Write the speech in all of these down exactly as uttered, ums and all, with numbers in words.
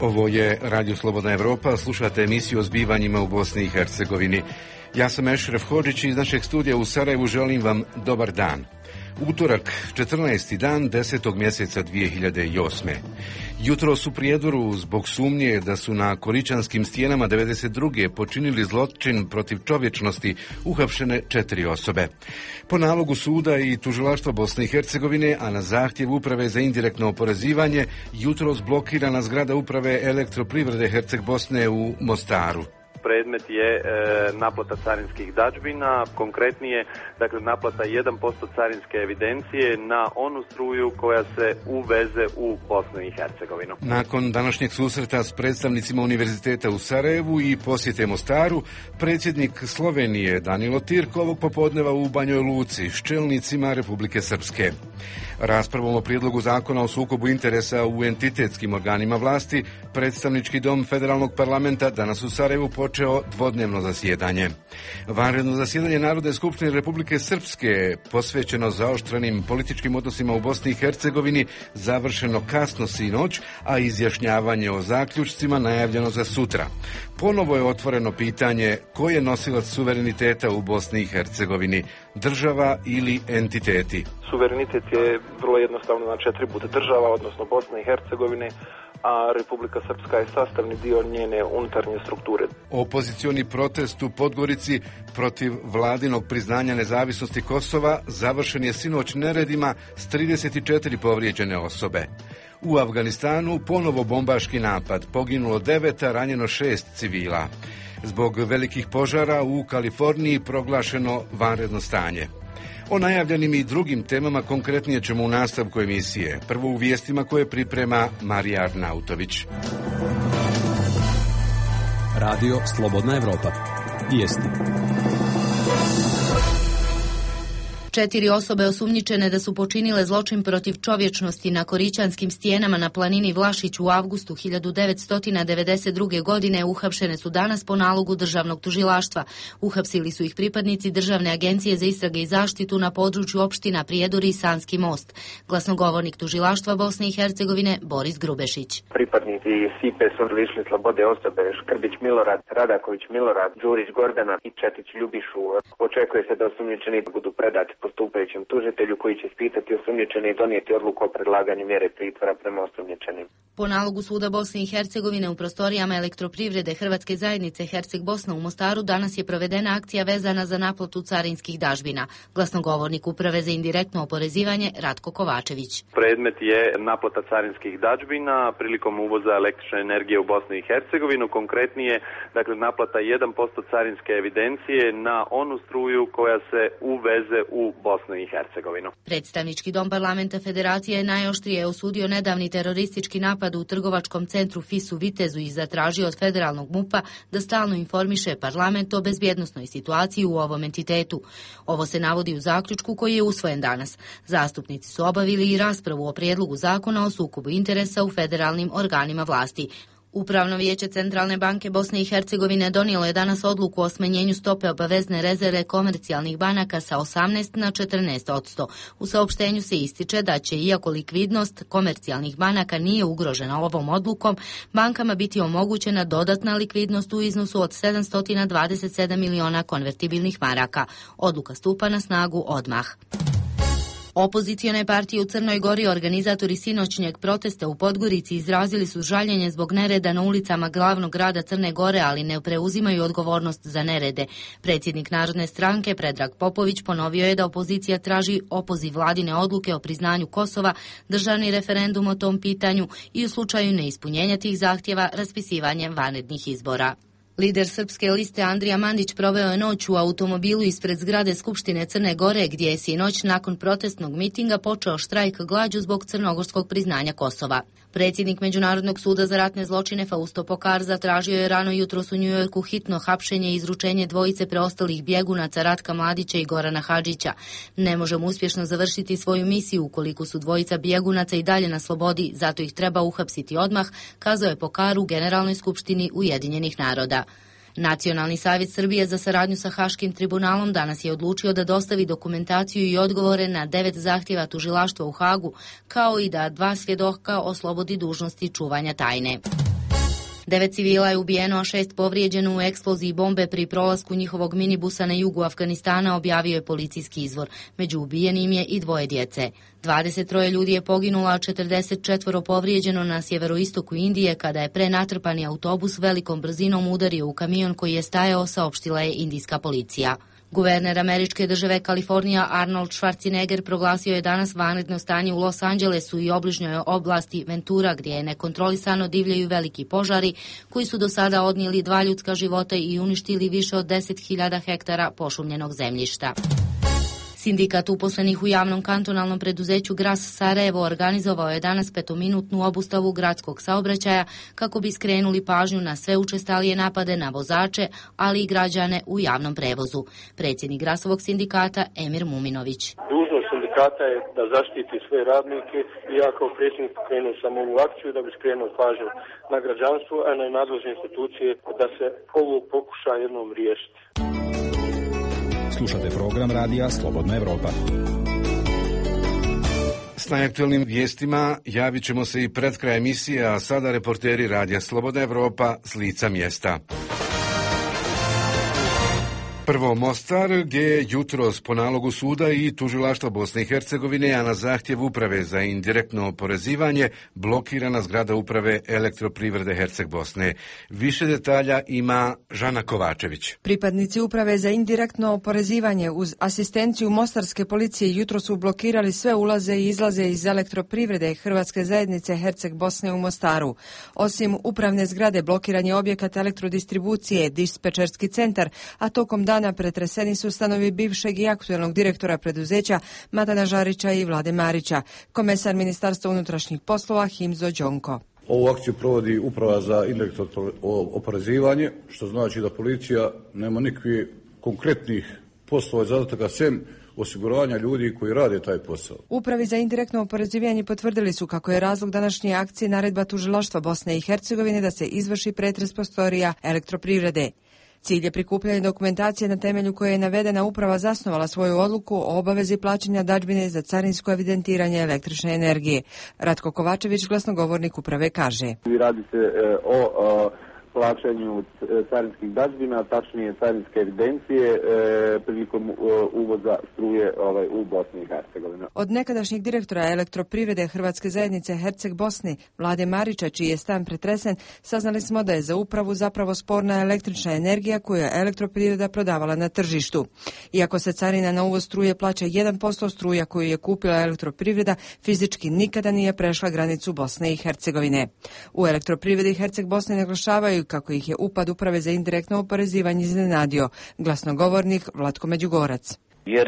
Ovo je Radio Slobodna Evropa, slušate emisiju o zbivanjima u Bosni i Hercegovini. Ja sam Ešref Hodžić i iz našeg studija u Sarajevu želim vam dobar dan. Utorak, četrnaesti dan desetog mjeseca dvije hiljade osme. Jutros u Prijedoru zbog sumnje da su na Koričanskim stijenama devedeset druge počinili zločin protiv čovječnosti uhapšene četiri osobe. Po nalogu suda i tužilaštva Bosne i Hercegovine, a na zahtjev Uprave za indirektno oporezivanje, jutros blokirana zgrada Uprave elektroprivrede Herceg Bosne u Mostaru. Predmet je e, naplata carinskih dadžbina, konkretnije, dakle naplata jedan posto carinske evidencije na onu struju koja se uveze u Bosnu i Hercegovinu. Nakon današnjeg susreta s predstavnicima Univerziteta u Sarajevu i posjete Mostaru, predsjednik Slovenije Danilo Tirk ovog popodneva u Banjoj Luci s čelnicima Republike Srpske. Raspravom o prijedlogu zakona o sukobu interesa u entitetskim organima vlasti, predstavnički dom federalnog parlamenta danas u Sarajevu počeo dvodnevno zasjedanje. Vanredno zasjedanje Narodne skupštine Republike Srpske, posvećeno zaoštrenim političkim odnosima u Bosni i Hercegovini, završeno kasno sinoć, a izjašnjavanje o zaključcima najavljeno za sutra. Ponovo je otvoreno pitanje ko je nosilac suvereniteta u Bosni i Hercegovini, država ili entiteti. Suverenitet je vrlo jednostavno, znači atribut država, odnosno Bosne i Hercegovine, a Republika Srpska je sastavni dio njene unutarnje strukture. Opozicioni protest u Podgorici protiv vladinog priznanja nezavisnosti Kosova završen je sinoć neredima s trideset četiri povrijeđene osobe. U Afganistanu ponovo bombaški napad, poginulo devet, a ranjeno šest civila. Zbog velikih požara u Kaliforniji proglašeno vanredno stanje. O najavljenim i drugim temama konkretnije ćemo u nastavku emisije. Prvo u vijestima koje priprema Marija Arnautović. Radio Slobodna Evropa. Vijesti. Četiri osobe osumnjičene da su počinile zločin protiv čovječnosti na Koričanskim stijenama na planini Vlašić u avgustu hiljadu devetsto devedeset druge. godine uhapšene su danas po nalogu državnog tužilaštva. Uhapsili su ih pripadnici Državne agencije za istrage i zaštitu na području opština Prijedor i Sanski most. Glasnogovornik tužilaštva Bosne i Hercegovine Boris Grubešić. Pripadnici S I P-e su lišili slobode osobe Škrbić Milorad, Radaković Milorad, Đurić Gordana i Četić Ljubišu. Očekuje se da osumnjičeni budu predati postupajućem tužitelju koji će ispitati osumnjičene i donijeti odluku o predlaganju mjere pritvora prema osumnjičenim. Po nalogu suda Bosne i Hercegovine u prostorijama elektroprivrede Hrvatske zajednice Herceg Bosna u Mostaru danas je provedena akcija vezana za naplatu carinskih dažbina. Glasnogovornik Uprave za indirektno oporezivanje Ratko Kovačević. Predmet je naplata carinskih dažbina prilikom uvoza električne energije u Bosnu i Hercegovinu, konkretnije, dakle naplata jedan posto carinske evidencije na onu struju koja se uveze u Bosnu i Hercegovinu. Predstavnički dom parlamenta Federacije je najoštrije osudio nedavni teroristički napad u trgovačkom centru F I S u Vitezu i zatražio od federalnog MUP-a da stalno informiše parlament o bezbjednosnoj situaciji u ovom entitetu. Ovo se navodi u zaključku koji je usvojen danas. Zastupnici su obavili i raspravu o prijedlogu zakona o sukobu interesa u federalnim organima vlasti. Upravno vijeće Centralne banke Bosne i Hercegovine donijelo je danas odluku o smanjenju stope obavezne rezerve komercijalnih banaka sa osamnaest na četrnaest posto. U saopštenju se ističe da će, iako likvidnost komercijalnih banaka nije ugrožena ovom odlukom, bankama biti omogućena dodatna likvidnost u iznosu od sedamsto dvadeset sedam miliona konvertibilnih maraka. Odluka stupa na snagu odmah. Opozicione partije u Crnoj Gori, organizatori sinoćnjeg protesta u Podgorici, izrazili su žaljenje zbog nereda na ulicama glavnog grada Crne Gore, ali ne preuzimaju odgovornost za nerede. Predsjednik Narodne stranke Predrag Popović ponovio je da opozicija traži opoziv vladine odluke o priznanju Kosova, državni referendum o tom pitanju i u slučaju neispunjenja tih zahtjeva raspisivanje vanrednih izbora. Lider srpske liste Andrija Mandić proveo je noć u automobilu ispred zgrade Skupštine Crne Gore, gdje je sinoć nakon protestnog mitinga počeo štrajk glađu zbog crnogorskog priznanja Kosova. Predsjednik Međunarodnog suda za ratne zločine Fausto Pokar zatražio je rano jutros u Njujorku hitno hapšenje i izručenje dvojice preostalih bjegunaca Ratka Mladića i Gorana Hadžića. Ne možemo uspješno završiti svoju misiju ukoliko su dvojica bjegunaca i dalje na slobodi, zato ih treba uhapsiti odmah, kazao je Pokar u Generalnoj skupštini Ujedinjenih naroda. Nacionalni savjet Srbije za saradnju sa Haškim tribunalom danas je odlučio da dostavi dokumentaciju i odgovore na devet zahtjeva tužilaštva u Hagu, kao i da dva svjedoka oslobodi dužnosti čuvanja tajne. Devet civila je ubijeno, a šest povrijeđeno u eksploziji bombe pri prolasku njihovog minibusa na jugu Afganistana, objavio je policijski izvor. Među ubijenim je i dvoje djece. dvadeset troje ljudi je poginulo, a četrdeset četiri povrijeđeno na sjeveroistoku Indije kada je prenatrpani autobus velikom brzinom udario u kamion koji je stajao, saopštila je indijska policija. Guverner američke države Kalifornija Arnold Schwarzenegger proglasio je danas vanredno stanje u Los Angelesu i obližnjoj oblasti Ventura, gdje je nekontrolisano divljaju veliki požari koji su do sada odnijeli dva ljudska života i uništili više od deset hiljada hektara pošumljenog zemljišta. Sindikat uposlenih u javnom kantonalnom preduzeću Gras Sarajevo organizovao je danas petominutnu obustavu gradskog saobraćaja kako bi skrenuli pažnju na sve učestalije napade na vozače, ali i građane u javnom prevozu. Predsjednik Grasovog sindikata Emir Muminović. Dužnost sindikata je da zaštiti sve radnike i ja kao predsjednik krenuo sam ovu akciju da bi skrenuo pažnju na građanstvo, a na nadležne institucije da se ovo pokuša jednom riješiti. Slušate program radija Slobodna Evropa. S najaktualnim vijestima javit ćemo se i pred kraj emisije, a sada reporteri radija Slobodna Evropa s lica mjesta. Prvo Mostar, gdje je jutros po nalogu suda i tužilaštva Bosne i Hercegovine, a na zahtjev uprave za indirektno oporezivanje, blokirana zgrada uprave Elektroprivrede Herceg Bosne. Više detalja ima Žana Kovačević. Pripadnici uprave za indirektno oporezivanje uz asistenciju mostarske policije jutros su blokirali sve ulaze i izlaze iz Elektroprivrede Hrvatske zajednice Herceg Bosne u Mostaru. Osim upravne zgrade, blokiran je objekat elektrodistribucije, dispečerski centar, a tokom dana pretreseni su stanovi bivšeg i aktuelnog direktora preduzeća Matana Žarića i Vlade Marića. Komesar Ministarstva unutrašnjih poslova Himzo Đonko. Ovu akciju provodi uprava za indirektno oporezivanje, što znači da policija nema nikakvih konkretnih poslova i zadataka sem osiguranja ljudi koji rade taj posao. Upravi za indirektno oporezivanje potvrdili su kako je razlog današnje akcije naredba tužilaštva Bosne i Hercegovine da se izvrši pretres prostorija Elektroprivrede. Cilj je prikupljanje dokumentacije na temelju koje je navedena uprava zasnovala svoju odluku o obavezi plaćanja dadžbine za carinsko evidentiranje električne energije. Ratko Kovačević, glasnogovornik uprave, kaže. Radi se e, o, o plaćanju carinskih dadžbina, tačnije carinske evidencije e, prilikom e, uvoza struje ovaj, u Bosni i Hercegovini. Od nekadašnjeg direktora Elektroprivrede Hrvatske zajednice Herceg Bosne, Vlade Marića, čiji je stan pretresen, saznali smo da je za upravu zapravo sporna električna energija koju je Elektroprivreda prodavala na tržištu. Iako se carina na uvoz struje plaća jedan posto, struja koju je kupila Elektroprivreda fizički nikada nije prešla granicu Bosne i Hercegovine. U Elektroprivredi Herceg Bosne naglašavaju kako ih je upad uprave za indirektno oporezivanje iznenadio. Glasnogovornik Vlatko Međugorac. Jer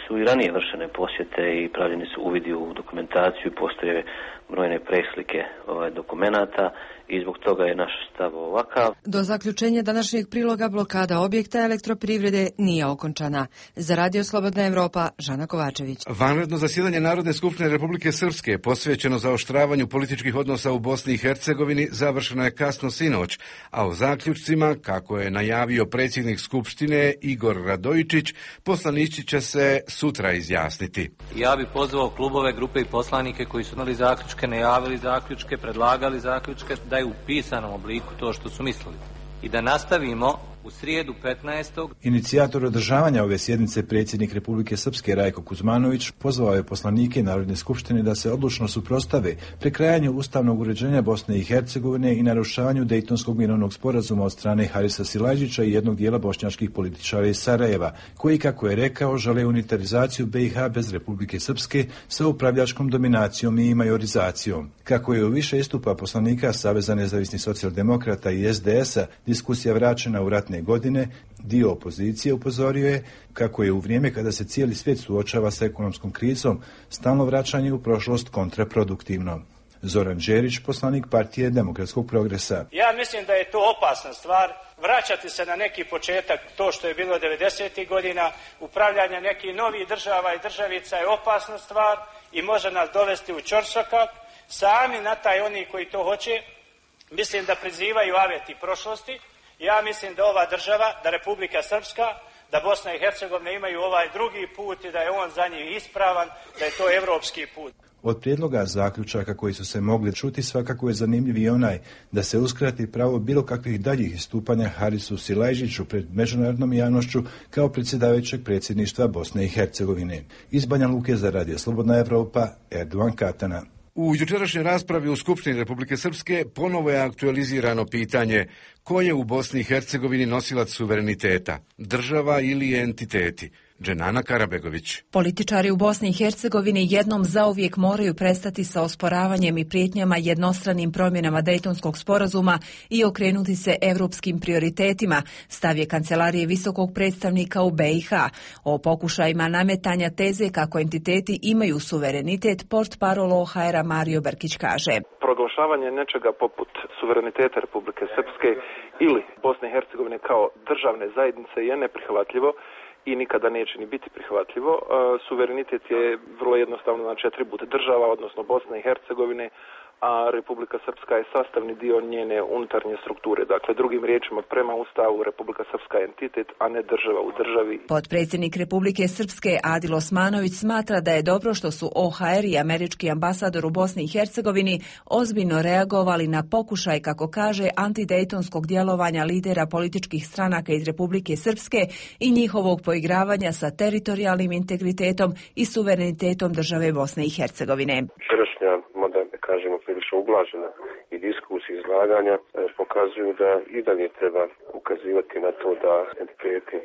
su i ranije vršene posjete i pravljeni su uvidi u dokumentaciju, postoje brojne preslike ovaj, dokumenata i zbog toga je naš stav ovakav. Do zaključenja današnjeg priloga blokada objekta Elektroprivrede nije okončana. Za Radio Slobodna Evropa, Žana Kovačević. Vanredno zasjedanje Narodne skupštine Republike Srpske, posvećeno zaoštravanju političkih odnosa u Bosni i Hercegovini, završeno je kasno sinoć, a o zaključcima, kako je najavio predsjednik Skupštine Igor Radojičić, poslanici će se sutra izjasniti. Ja bih pozvao klubove, grupe i poslanike koji su imali zaključke, najavili zaključke, predlagali zaključke, da je u pisanom obliku to što su mislili. I da nastavimo u srijedu petnaestog Inicijator održavanja ove sjednice, predsjednik Republike Srpske Rajko Kuzmanović, pozvao je poslanike Narodne skupštine da se odlučno suprotstave prekrajanju ustavnog uređenja Bosne i Hercegovine i narušavanju Dejtonskog mirovnog sporazuma od strane Harisa Silajđića i jednog dijela bošnjačkih političara iz Sarajeva, koji, kako je rekao, žele unitarizaciju B i H bez Republike Srpske sa upravljačkom dominacijom i majorizacijom. Kako je u više istupa poslanika Saveza nezavisnih socijaldemokrata i S D S-a diskusija vraćena u ratne godine, dio opozicije upozorio je kako je u vrijeme kada se cijeli svijet suočava sa ekonomskom krizom, stalno vraćanje u prošlost kontraproduktivno. Zoran Đerić, poslanik Partije demokratskog progresa. Ja mislim da je to opasna stvar, vraćati se na neki početak, to što je bilo devedesetih godina, upravljanje nekih novih država i državica je opasna stvar i može nas dovesti u ćorsokak. Sami na taj oni koji to hoće, mislim da prizivaju aveti prošlosti. Ja mislim da ova država, da Republika Srpska, da Bosna i Hercegovina imaju ovaj drugi put i da je on za njih ispravan, da je to evropski put. Od prijedloga zaključaka koji su se mogli čuti svakako je zanimljiv i onaj da se uskrati pravo bilo kakvih daljih istupanja Harisu Silajđiću pred međunarodnom javnošću kao predsjedavajućeg predsjedništva Bosne i Hercegovine. Iz Banja Luke za Radio Slobodna Evropa, Erdovan Katana. U jučerašnjoj raspravi u Skupštini Republike Srpske ponovo je aktualizirano pitanje ko je u Bosni i Hercegovini nosilac suvereniteta, država ili entiteti. Dženana Karabegović. Političari u Bosni i Hercegovini jednom zauvijek moraju prestati sa osporavanjem i prijetnjama jednostranim promjenama Dejtonskog sporazuma i okrenuti se europskim prioritetima, stav je Kancelarije visokog predstavnika u B i H. O pokušajima nametanja teze kako entiteti imaju suverenitet, portparol O H R-a Mario Brkić kaže. Proglašavanje nečega poput suvereniteta Republike Srpske ili Bosne i Hercegovine kao državne zajednice je neprihvatljivo i nikada neće ni biti prihvatljivo. Suverenitet je vrlo jednostavno znači atribut država, odnosno Bosne i Hercegovine, a Republika Srpska je sastavni dio njene unutarnje strukture. Dakle, drugim riječima, prema Ustavu Republika Srpska je entitet, a ne država u državi. Potpredsjednik Republike Srpske Adil Osmanović smatra da je dobro što su O H R i američki ambasador u Bosni i Hercegovini ozbiljno reagovali na pokušaj, kako kaže, antidejtonskog djelovanja lidera političkih stranaka iz Republike Srpske i njihovog poigravanja sa teritorijalnim integritetom i suverenitetom države Bosne i Hercegovine. Včerašnja, mada kažemo prilično ublažena i diskusija izlaganja e, pokazuju da i dalje treba ukazivati na to da entiteti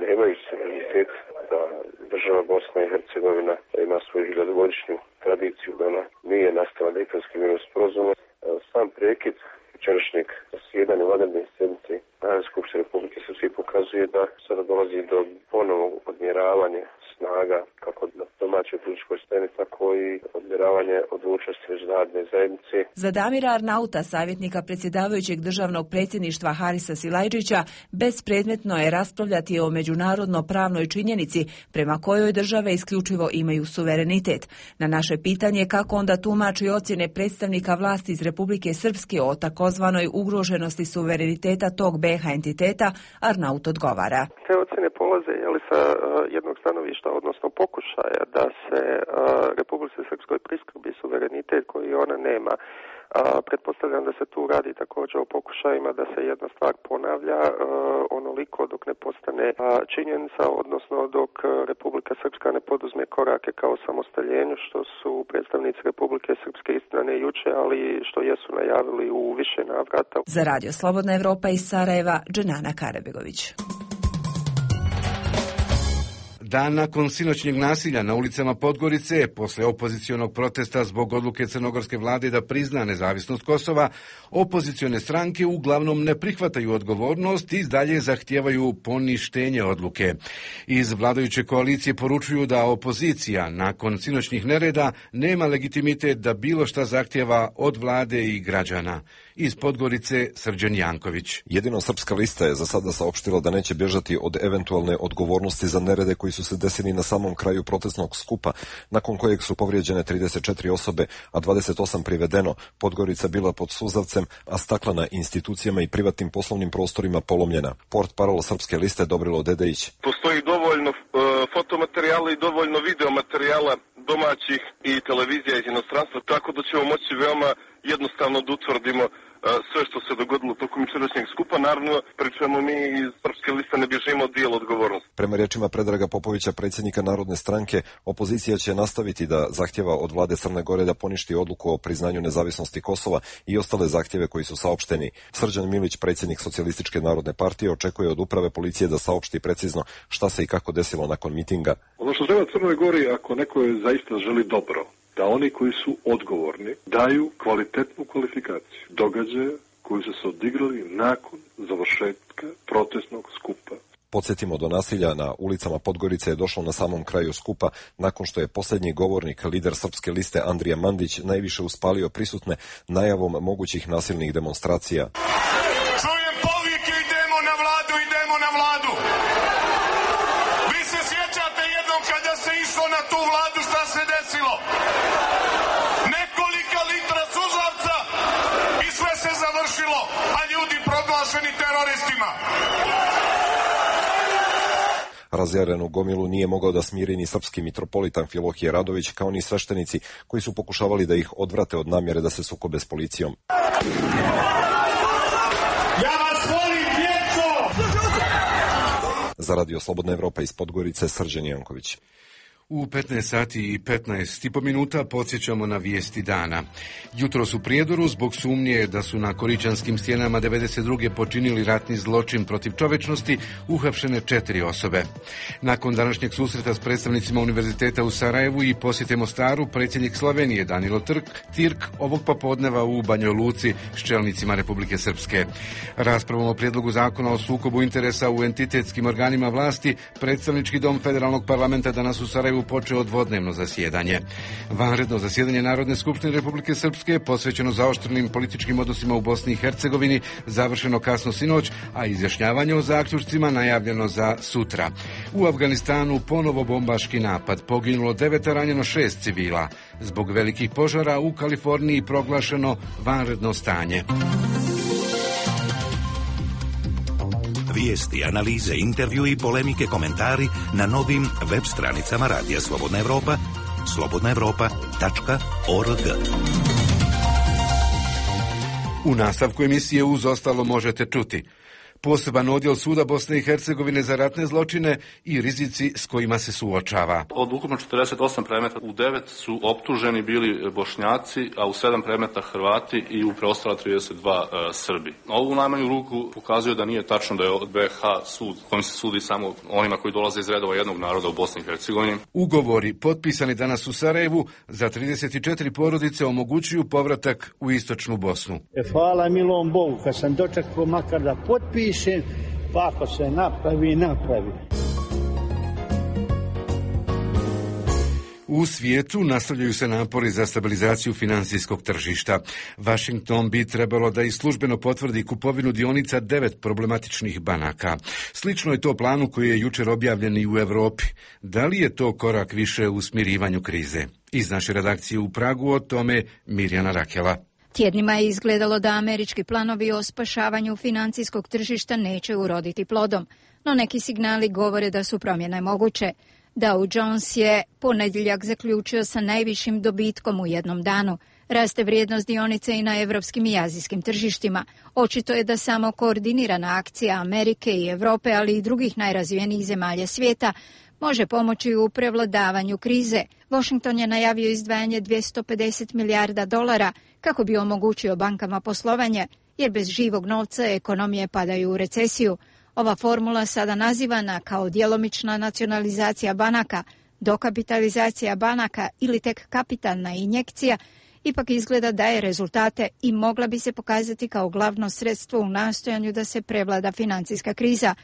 nemaju suverenitet, da država Bosna i Hercegovina ima svoju hiljadugodišnju tradiciju, da ona nije nastala Dejtonskim mirovnim sporazumom. Sam prekid včerašnjeg zasjedanja vanredne sjednice Narodne skupštine Republike Srpske pokazuje da sada dolazi do ponovnog odmjeravanja snaga kako na domaćoj političkoj sceni, tako i odmjeravanje odlučnosti međunarodne zajednice. Za Damira Arnauta, savjetnika predsjedavajućeg državnog predsjedništva Harisa Silajđića, bespredmetno je raspravljati o međunarodno pravnoj činjenici prema kojoj države isključivo imaju suverenitet. Na naše pitanje kako onda tumači ocjene predstavnika vlasti iz Republike Srpske o takozvanoj ugroženosti suvereniteta tog B i H entiteta, Arnaut odgovara. Te ocjene polaze jeli, sa uh, jednog stanovišta, odnosno pokušaja da se uh, Republici Srpskoj priskrbi suverenitet koji ona nema. Uh, pretpostavljam da se tu radi također o pokušajima da se jedna stvar ponavlja uh, onoliko dok ne postane uh, činjenica, odnosno dok Republika Srpska ne poduzme korake kao samostaljenju, što su predstavnici Republike Srpske, istina ne juče, ali što jesu najavili u više navrata. Za Radio Slobodna Evropa iz Sarajeva, Dženana Karabegović. Dan nakon sinoćnjeg nasilja na ulicama Podgorice, posle opozicionog protesta zbog odluke crnogorske vlade da prizna nezavisnost Kosova, opozicione stranke uglavnom ne prihvataju odgovornost i dalje zahtijevaju poništenje odluke. Iz vladajuće koalicije poručuju da opozicija nakon sinoćnih nereda nema legitimitet da bilo šta zahtijeva od vlade i građana. Iz Podgorice, Srđan Janković. Jedino Srpska lista je za sada saopštila da neće bježati od eventualne odgovornosti za nerede koji su se desili na samom kraju protestnog skupa, nakon kojeg su povrijeđene trideset četiri osobe, a dvadeset osam privedeno. Podgorica bila pod suzavcem, a stakla na institucijama i privatnim poslovnim prostorima polomljena. Portparol Srpske liste Dobrilo Dedejić. Postoji dovoljno uh, fotomaterijala i dovoljno videomaterijala domaćih i televizija iz inostranstva, tako da ćemo moći veoma jednostavno da utvrdimo sve što se dogodilo tokom jučerašnjeg skupa. Naravno, pri čemu mi iz Srpske liste ne bježimo od dijela odgovornosti. Prema riječima Predraga Popovića, predsjednika Narodne stranke, opozicija će nastaviti da zahtjeva od vlade Crne Gore da poništi odluku o priznanju nezavisnosti Kosova i ostale zahtjeve koji su saopšteni. Srđan Milić, predsjednik Socijalističke narodne partije, očekuje od uprave policije da saopšti precizno šta se i kako desilo nakon mitinga. Ono što treba Crnoj Gori, ako neko je zaista želi dobro, da oni koji su odgovorni daju kvalitetnu kvalifikaciju događaja koji su se odigrali nakon završetka protestnog skupa. Podsjetimo, do nasilja na ulicama Podgorice je došlo na samom kraju skupa, nakon što je posljednji govornik, lider Srpske liste Andrija Mandić, najviše uspalio prisutne najavom mogućih nasilnih demonstracija. Čujem povike, idemo na vladu, idemo na vladu. Vi se sjećate jednom kada se išlo na tu vladu, šta se desilo? Nekolika litra suzavca i sve se završilo, a ljudi proglašeni teroristima. Razjarenu gomilu nije mogao da smiri ni srpski mitropolitan Filohije Radović, kao ni sveštenici koji su pokušavali da ih odvrate od namjere da se sukobe s policijom. Ja vas volim, djeco! Za Radio Slobodna Evropa iz Podgorice, Srđan Janković. U petnaest sati i petnaest i po minuta podsjećamo na vijesti dana. Jutros u Prijedoru zbog sumnje da su na Koričanskim stjenama devedeset druge počinili ratni zločin protiv čovečnosti uhapšene četiri osobe. Nakon današnjeg susreta s predstavnicima Univerziteta u Sarajevu i posjete Mostaru, predsjednik Slovenije Danilo Tirk ovog popodneva u Banjoj Luci s čelnicima Republike Srpske. Raspravom o prijedlogu zakona o sukobu interesa u entitetskim organima vlasti, predstavnički dom Federalnog parlamenta danas u Sarajevu počeo dvodnevno zasjedanje. Vanredno zasjedanje Narodne skupštine Republike Srpske, posvećeno zaoštrenim političkim odnosima u Bosni i Hercegovini, završeno kasno sinoć, a izjašnjavanje o zaključcima najavljeno za sutra. U Afganistanu ponovo bombaški napad, poginulo devet, a ranjeno šest civila. Zbog velikih požara u Kaliforniji proglašeno vanredno stanje. Vijesti, analize, intervju i polemike, komentari na novim web stranicama Radija Slobodna Evropa, slobodna evropa tačka org. U nastavku emisije uz ostalo možete čuti: poseban odjel Suda Bosne i Hercegovine za ratne zločine i rizici s kojima se suočava. Od ukupno četrdeset osam predmeta u devet su optuženi bili Bošnjaci, a u sedam predmeta Hrvati i u preostala trideset dva e, Srbi. Ovo u najmanju ruku pokazuje da nije tačno da je od B H sud kojim se sudi samo onima koji dolaze iz redova jednog naroda u Bosni i Hercegovini. Ugovori potpisani danas u Sarajevu za trideset četiri porodice omogućuju povratak u istočnu Bosnu. E, hvala milom Bogu, kad sam dočekao makar da potpišem, pa ako se napravi, napravi. U svijetu nastavljaju se napori za stabilizaciju financijskog tržišta. Washington bi trebalo da i službeno potvrdi kupovinu dionica devet problematičnih banaka. Slično je to planu koji je jučer objavljen i u Europi. Da li je to korak više u smirivanju krize? Iz naše redakcije u Pragu o tome Mirjana Rakela. Tjednima je izgledalo da američki planovi o spašavanju financijskog tržišta neće uroditi plodom, no neki signali govore da su promjene moguće. Dow Jones je ponedjeljak zaključio sa najvišim dobitkom u jednom danu. Raste vrijednost dionice i na evropskim i azijskim tržištima. Očito je da samo koordinirana akcija Amerike i Europe, ali i drugih najrazvijenijih zemalja svijeta, može pomoći u prevladavanju krize. Washington je najavio izdvajanje dvjesto pedeset milijarda dolara kako bi omogućio bankama poslovanje, jer bez živog novca ekonomije padaju u recesiju. Ova formula, sada nazivana kao djelomična nacionalizacija banaka, dokapitalizacija banaka ili tek kapitalna injekcija, ipak izgleda daje rezultate i mogla bi se pokazati kao glavno sredstvo u nastojanju da se prevlada financijska kriza.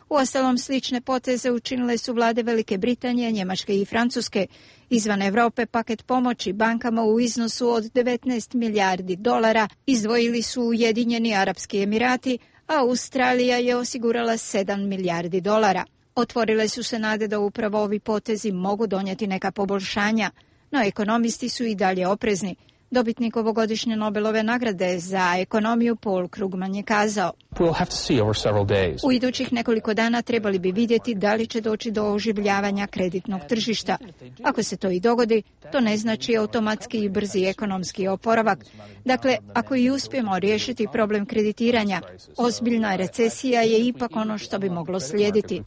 Uostalom, slične poteze učinile su vlade Velike Britanije, Njemačke i Francuske. Izvan Europe paket pomoći bankama u iznosu od devetnaest milijardi dolara izdvojili su Ujedinjeni Arapski Emirati, a Australija je osigurala sedam milijardi dolara. Otvorile su se nade da upravo ovi potezi mogu donijeti neka poboljšanja, no ekonomisti su i dalje oprezni. Dobitnik ovogodišnje Nobelove nagrade za ekonomiju Paul Krugman je kazao: u idućih nekoliko dana trebali bi vidjeti da li će doći do oživljavanja kreditnog tržišta. Ako se to i dogodi, to ne znači automatski i brzi ekonomski oporavak. Dakle, ako i uspijemo riješiti problem kreditiranja, ozbiljna recesija je ipak ono što bi moglo slijediti.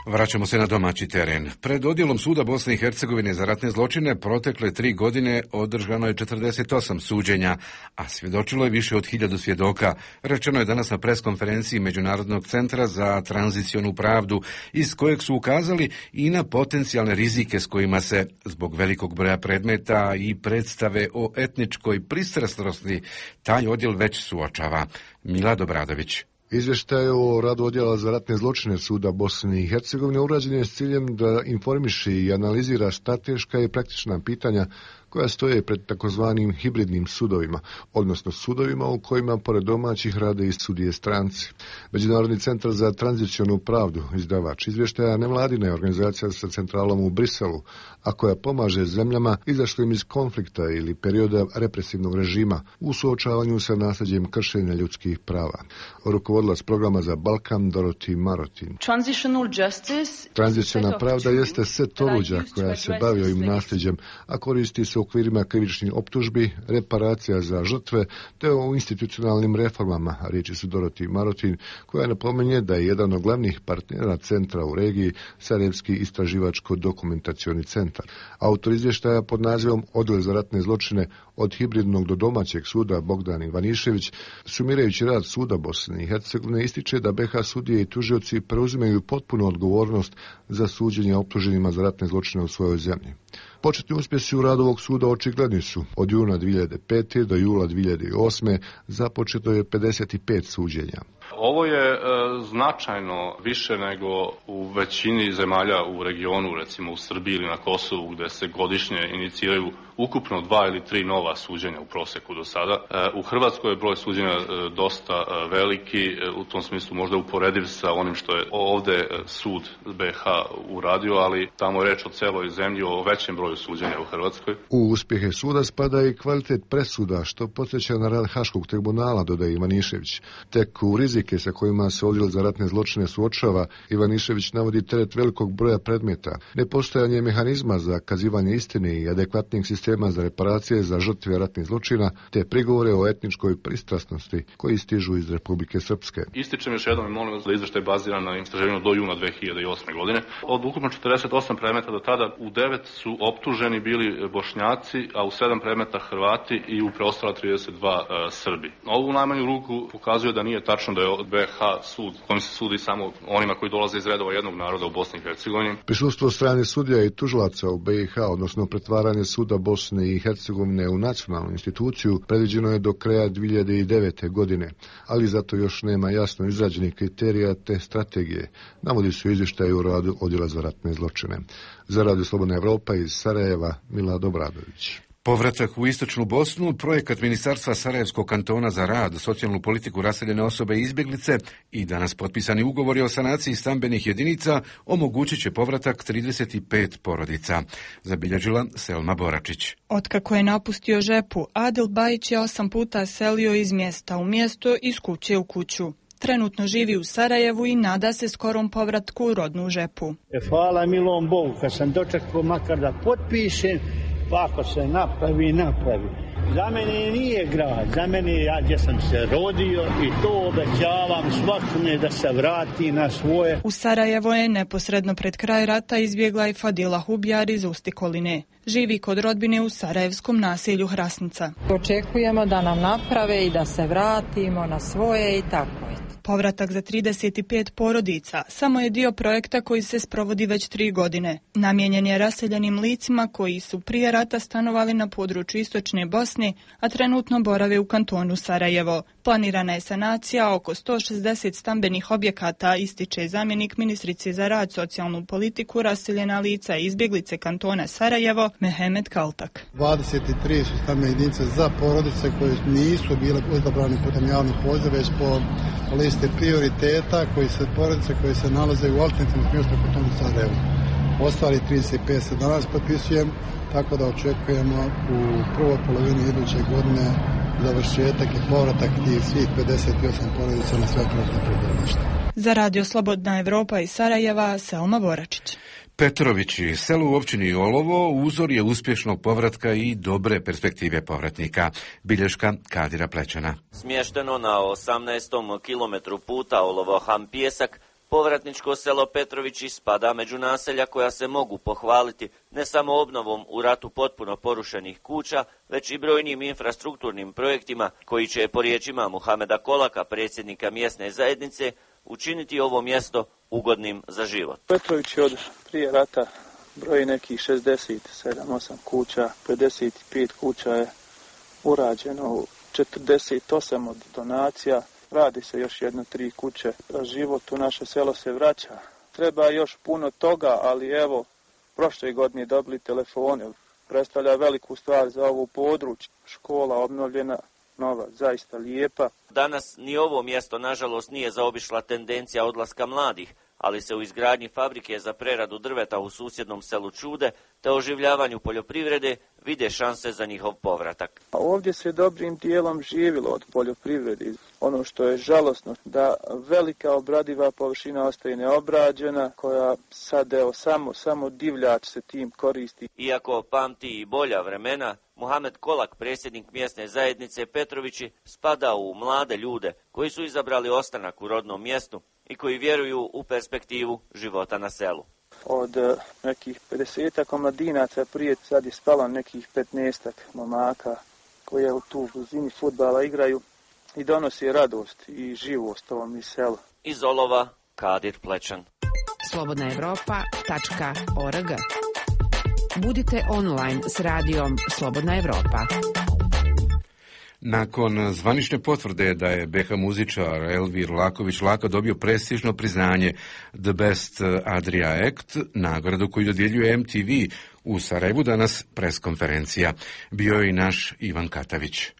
Vraćamo se na domaći teren. Pred odjelom Suda Bosne i Hercegovine za ratne zločine protekle tri godine održano je četrdeset osam suđenja, a svjedočilo je više od hiljadu svjedoka. Rečeno je danas na preskonferenciji Međunarodnog centra za tranzicionu pravdu, iz kojeg su ukazali i na potencijalne rizike s kojima se, zbog velikog broja predmeta i predstave o etničkoj pristrasnosti, taj odjel već suočava. Milad Obradović. Izvještaj o radu odjela za ratne zločine Suda Bosne i Hercegovine urađen je s ciljem da informiše i analizira strateška i praktična pitanja koja stoje pred takozvanim hibridnim sudovima, odnosno sudovima u kojima pored domaćih rade i sudije stranci. Međunarodni centar za tranzicionu pravdu, izdavač izvještaja, nevladina je organizacija sa centralom u Briselu, a koja pomaže zemljama izašlim iz konflikta ili perioda represivnog režima u suočavanju sa nasljeđem kršenja ljudskih prava. Rukovodilac programa za Balkan Dorothy Marotin. Tranziciona pravda jeste set oruđa koja se bavi ovim nasljeđem, a koristi se u okvirima krivičnih optužbi, reparacija za žrtve te o institucionalnim reformama, riječi su Dorothy Marotin, koja napominje da je jedan od glavnih partnera centra u regiji Sarajevski istraživačko-dokumentacioni centar. Autor izvještaja pod nazivom Odjel za ratne zločine od hibridnog do domaćeg suda Bogdan Ivanišević, sumirajući rad suda Bosne i Hercegovine, ističe da be ha sudije i tužioci preuzimaju potpunu odgovornost za suđenje optuženima za ratne zločine u svojoj zemlji. Početni uspjesi u radu ovog suda očigledni su. Od juna dvije hiljade pete. do jula dvije hiljade osme. započeto je pedeset pet suđenja. Ovo je e, značajno više nego u većini zemalja u regionu, recimo u Srbiji ili na Kosovu, gdje se godišnje iniciraju ukupno dva ili tri nova suđenja u proseku do sada. E, u Hrvatskoj je broj suđenja e, dosta e, veliki, e, u tom smislu možda uporediv sa onim što je ovdje e, sud be ha uradio, ali tamo je reč o celoj zemlji, o većem broju suđenja u Hrvatskoj. U uspjehe suda spada i kvalitet presuda, što podsjeća na rad Haškog tribunala, dodaje Ivanišević. Tek u rizike sa kojima se odjel za ratne zločine suočava, Ivanišević navodi teret velikog broja predmeta, nepostojanje mehanizma za kazivanje istine i adekvatnih sistema za reparacije za žrtve ratnih zločina, te prigovore o etničkoj pristrasnosti koji stižu iz Republike Srpske. Ističem još jednom i molim vas da izveštaj je baziran na istraživanju do juna dve hiljade osme. godine. Od ukupno četrdeset osam predmeta do tada u devet su optuženi bili Bošnjaci, a u sedam predmeta Hrvati i u preostala trideset dva e, Srbi. Ovo u najmanju ruku pokazuje da nije tačno da je od be ha sud kojim se sudi samo onima koji dolaze iz redova jednog naroda u Bosni i Hercegovini. Prisustvo strane sudija i tužilaca u be ha, odnosno pretvaranje suda Bosne i Hercegovine u nacionalnu instituciju, predviđeno je do kraja dvije hiljade devete. godine, ali zato još nema jasno izrađenih kriterija te strategije, navodi su izvještaji u radu Odjela za ratne zločine. Za Radio Slobodna Evropa iz Sarajeva, Milad Obradović. Povratak u istočnu Bosnu, projekat Ministarstva Sarajevskog kantona za rad, socijalnu politiku, raseljene osobe i izbjeglice i danas potpisani ugovori o sanaciji stambenih jedinica omogućit će povratak trideset pet porodica. Zabilježila Selma Boračić. Otkako je napustio Žepu, Adil Bajić je osam puta selio iz mjesta u mjesto, iz kuće u kuću. Trenutno živi u Sarajevu i nada se skorom povratku u rodnu Žepu. Hvala milom Bogu, kad sam dočekao makar da potpišem, pa ako se napravi, napravi. Za mene nije grad, za mene ja gdje sam se rodio i to obećavam svakome da se vrati na svoje. U Sarajevo je neposredno pred kraj rata izbjegla i Fadila Hubjar iz Ustikoline. Živi kod rodbine u sarajevskom naselju Hrasnica. Očekujemo da nam naprave i da se vratimo na svoje i tako je. Povratak za trideset pet porodica samo je dio projekta koji se sprovodi već tri godine. Namijenjen je raseljenim licima koji su prije rata stanovali na području istočne Bosne, a trenutno borave u kantonu Sarajevo. Planirana je sanacija oko sto šezdeset stambenih objekata, ističe zamjenik ministrice za rad, socijalnu politiku, raseljena lica i izbjeglice kantona Sarajevo, Mehmet Kaltak. dvadeset tri su stambene jedinice za porodice koje nisu bile odabrane putem javnih poziva, već po listi prioriteta koji se porodice koje se nalaze u alternativnom smještaju u kantonu Sarajevo. Ostali trideset pet se danas potpisujem, tako da očekujemo u prvoj polovini iduće godine završetak i povratak tih svih pedeset osam porodica na sve prostorne prebivalište. Za Radio Slobodna Evropa iz Sarajeva, Selma Boračić. Petrovići, selo u općini Olovo, uzor je uspješnog povratka i dobre perspektive povratnika. Bilješka Kadira Plećana. Smješteno na osamnaestom kilometru puta Olovo-Ham-Pijesak, povratničko selo Petrovići spada među naselja koja se mogu pohvaliti ne samo obnovom u ratu potpuno porušenih kuća, već i brojnim infrastrukturnim projektima koji će, po riječima Muhameda Kolaka, predsjednika mjesne zajednice, učiniti ovo mjesto ugodnim za život. Petrović je od prije rata broji nekih šezdeset sedam osam kuća, pedeset pet kuća je urađeno, četrdeset osam od donacija. Radi se još jedno tri kuće. Život u naše selo se vraća. Treba još puno toga, ali evo, prošle godine dobili telefone. predstavlja veliku stvar za ovu područje. Škola obnovljena, nova, zaista lijepa. Danas ni ovo mjesto, nažalost, nije zaobišla tendencija odlaska mladih, ali se u izgradnji fabrike za preradu drveta u susjednom selu Čude te oživljavanju poljoprivrede vide šanse za njihov povratak. Ovdje se dobrim dijelom živilo od poljoprivrede. Ono što je žalosno, da velika obradiva površina ostaje neobrađena, koja sad evo samo, samo divljač se tim koristi. Iako pamti i bolja vremena, Muhamed Kolak, predsjednik mjesne zajednice Petrovići, spada u mlade ljude koji su izabrali ostanak u rodnom mjestu i koji vjeruju u perspektivu života na selu. Od nekih pedesetak omladinaca prije sad je spalo nekih petnaestak momaka koji u tu blizini fudbala igraju i donosi radost i živost ovom iz sela. Iz Olova, Kadir Plečan. slobodna evropa tačka org. Budite online s radijom Slobodna Evropa. Nakon zvanične potvrde da je be ha muzičar Elvir Laković-Laka dobio prestižno priznanje The Best Adria Act, nagradu koju dodjeljuje em te ve u Sarajevu, danas preskonferencija. Bio je i naš Ivan Katavić.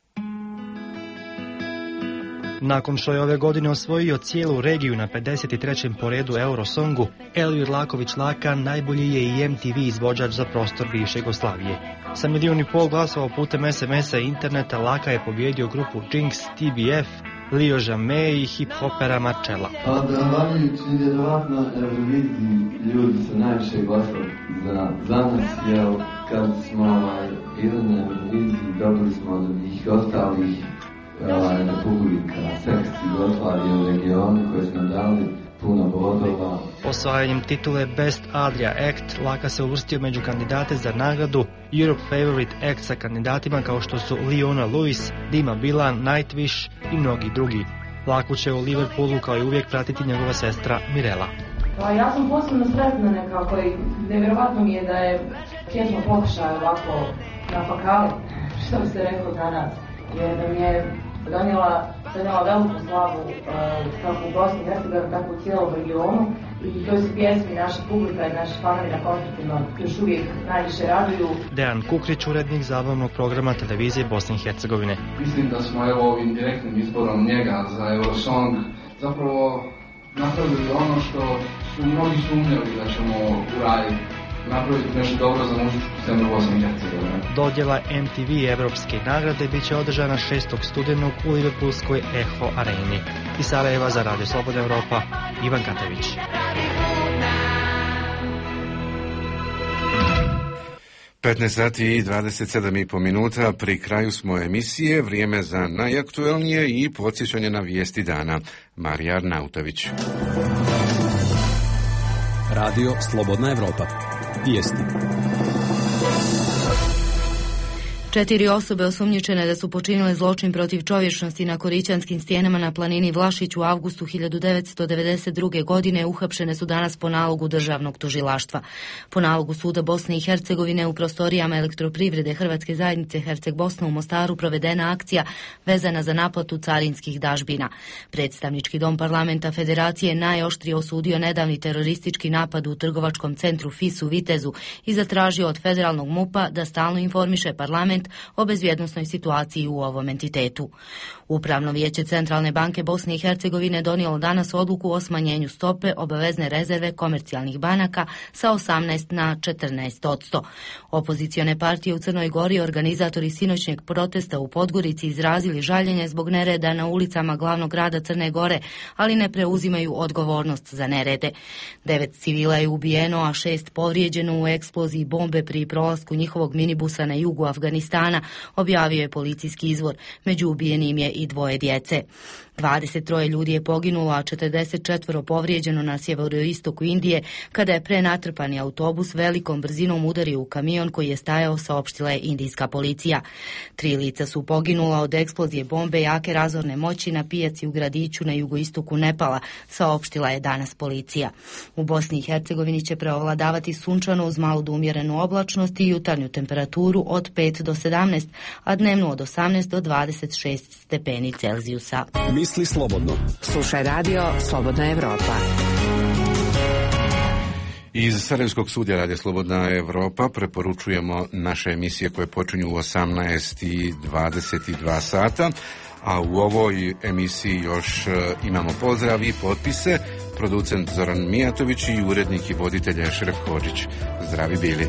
Nakon što je ove godine osvojio cijelu regiju na pedeset trećem po redu Eurosongu, Elvir Laković-Laka najbolji je i em te ve izvođač za prostor bivše Jugoslavije. Sa milijun i pol glasova putem es em esa i interneta Laka je pobjedio grupu Jinx, te be ef, Lio Jamé i hip-hopera Marcella. Pa zahvaljujući vjerovatno Euroviziji ljudi su najviše glasali za, za nas, jer kad smo ovaj, bili na Euroviziji dobili smo od njih ostalih ovaj, republika, sekciji Jugoslavije u regionu koje smo dali puno bodova. Osvajanjem titule Best Adria Act, Laka se uvrstio među kandidate za nagradu Europe Favorite Act sa kandidatima kao što su Leona Lewis, Dima Bilan, Nightwish i mnogi drugi. Laku će u Liverpoolu kao i uvijek pratiti njegova sestra Mirela. Pa ja sam posebno sretna nekako i nevjerovatno mi je da je Kjesmo pokušaj ovako na fakali, što ste rekli danas, jer da mi je donijela, donijela veliku slavu uh, kako u Bosni i Hercegovini, tako u cijelom regionu i to su pjesmi naša publika i naši fanovi na koncertima još uvijek najviše raduju. Dejan Kukrić, urednik zabavnog programa televizije Bosne i Hercegovine. Mislim da smo evo ovim direktnim izborom njega za Eurosong zapravo napravili ono što su mnogi sumnjali da ćemo uraditi. Napraviti nešto dobro za muzičku scenu Bosne i Hercegovine. Dodjela em te ve Evropske nagrade bit će održana šestog studenog u Liverpoolskoj Eho areni. Iz Sarajeva za Radio Slobodna Evropa, Ivan Katavić. petnaest sati i dvadeset sedam i po minuta, pri kraju smo emisije, vrijeme za najaktuelnije i podsjećanje na vijesti dana. Marija Arnautović. Radio Slobodna Evropa. Vijesti. Četiri osobe osumnjičene da su počinile zločin protiv čovječnosti na Korićanskim stijenama na planini Vlašić u avgustu hiljadu devetsto devedeset druge. godine uhapšene su danas po nalogu državnog tužilaštva. Po nalogu Suda Bosne i Hercegovine u prostorijama Elektroprivrede Hrvatske zajednice Herceg Bosna u Mostaru provedena akcija vezana za naplatu carinskih dažbina. Predstavnički dom parlamenta Federacije najoštrije osudio nedavni teroristički napad u trgovačkom centru F I S u Vitezu i zatražio od federalnog MUP-a da stalno informiše parlament o bezbjednosnoj situaciji u ovom entitetu. Upravno vijeće Centralne banke Bosne i Hercegovine donijelo danas odluku o smanjenju stope obavezne rezerve komercijalnih banaka sa osamnaest na četrnaest odsto. Opozicione partije u Crnoj Gori, organizatori sinoćnjeg protesta u Podgorici, izrazili žaljenje zbog nereda na ulicama glavnog grada Crne Gore, ali ne preuzimaju odgovornost za nerede. Devet civila je ubijeno, a šest povrijeđeno u eksploziji bombe pri prolasku njihovog minibusa na jugu Afganistana, objavio je policijski izvor. Među ubijenim je i dvoje djece. dvadeset troje ljudi je poginulo, a četrdeset četvoro povrijeđeno na sjeveroistoku Indije, kada je prenatrpani autobus velikom brzinom udario u kamion koji je stajao, saopštila je indijska policija. Tri lica su poginula od eksplozije bombe jake razorne moći na pijaci u gradiću na jugoistoku Nepala, saopštila je danas policija. U Bosni i Hercegovini će preovladavati sunčano uz malu do umjerenu oblačnost i jutarnju temperaturu od pet do sedamnaest, a dnevnu od osamnaest do dvadeset šest stepeni Celzijusa. Misli slobodno. Slušaj radio Slobodna Evropa. Iz Sarajevskog studija Radija Slobodna Evropa preporučujemo naše emisije koje počinju u osamnaest i dvadeset dva sata, a u ovoj emisiji još imamo pozdrav i potpise, producent Zoran Mijatović i urednik i voditelj Ešref Hodžić. Zdravi bili.